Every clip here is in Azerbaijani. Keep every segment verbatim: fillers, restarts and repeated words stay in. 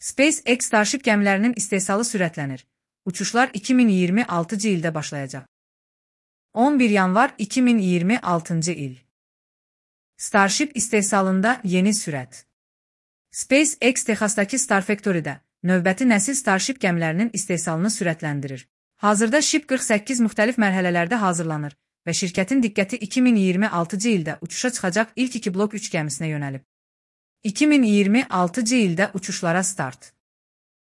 SpaceX Starship gəmilərinin istehsalı sürətlənir. Uçuşlar iki min iyirmi altıncı ildə başlayacaq. on bir yanvar iki min iyirmi altıncı il. Starship istehsalında yeni sürət. SpaceX Texasdakı Star Factory-də növbəti nəsil Starship gəmilərinin istehsalını sürətləndirir. Hazırda Ship qırx səkkiz müxtəlif mərhələlərdə hazırlanır və şirkətin diqqəti iki min iyirmi altıncı ildə uçuşa çıxacaq ilk iki blok üç gəmisinə yönəlib. iki min iyirmi altıncı ildə uçuşlara start.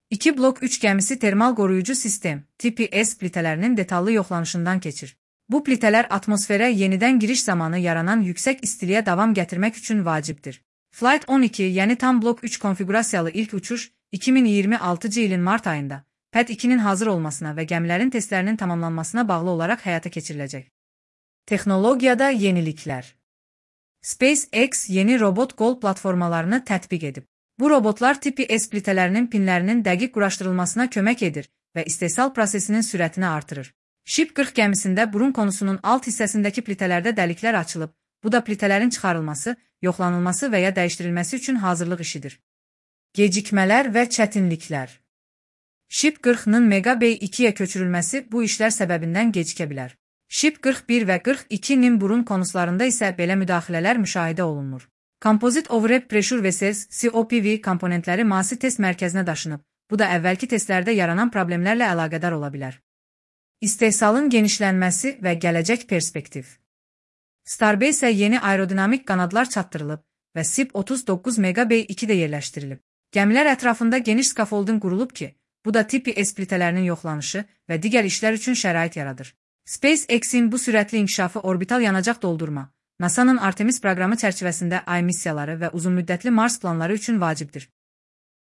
iki blok üç gəmisi termal qoruyucu sistem T P S plitələrinin detallı yoxlanışından keçir. Bu plitələr atmosferə yenidən giriş zamanı yaranan yüksək istiliyə davam gətirmək üçün vacibdir. Flight on iki, yəni tam blok üç konfigurasiyalı ilk uçuş iki min iyirmi altıncı ilin mart ayında P E T ikinin hazır olmasına və gəmilərin testlərinin tamamlanmasına bağlı olaraq həyata keçiriləcək. Texnologiyada yeniliklər. SpaceX yeni robot qol platformalarını tətbiq edib. Bu robotlar T P S plitələrinin pinlərinin dəqiq quraşdırılmasına kömək edir və istehsal prosesinin sürətini artırır. Ship qırx gəmisində burun konusunun alt hissəsindəki plitələrdə dəliklər açılıb, bu da plitələrin çıxarılması, yoxlanılması və ya dəyişdirilməsi üçün hazırlıq işidir. Gecikmələr və çətinliklər. Ship qırxın Mega Bay ikiyə köçürülməsi bu işlər səbəbindən gecikə bilər. Ship qırx bir və qırx ikinin burun konuslarında isə belə müdaxilələr müşahidə olunmur. Composite Overhead Pressure Vessels C O P V komponentləri Masi test mərkəzinə daşınıb, bu da əvvəlki testlərdə yaranan problemlərlə əlaqədar ola bilər. İstehsalın genişlənməsi və gələcək perspektiv. Starbase-ə yeni aerodinamik qanadlar çatdırılıb və S I P otuz doqquz Mega Bay ikidə yerləşdirilib. Gəmilər ətrafında geniş skafolding qurulub ki, bu da T P S plitələrinin yoxlanışı və digər işlər üçün şərait yaradır. SpaceX-in bu sürətli inkişafı orbital yanacaq doldurma, NASA'nın Artemis proqramı çərçivəsində ay missiyaları və uzunmüddətli Mars planları üçün vacibdir.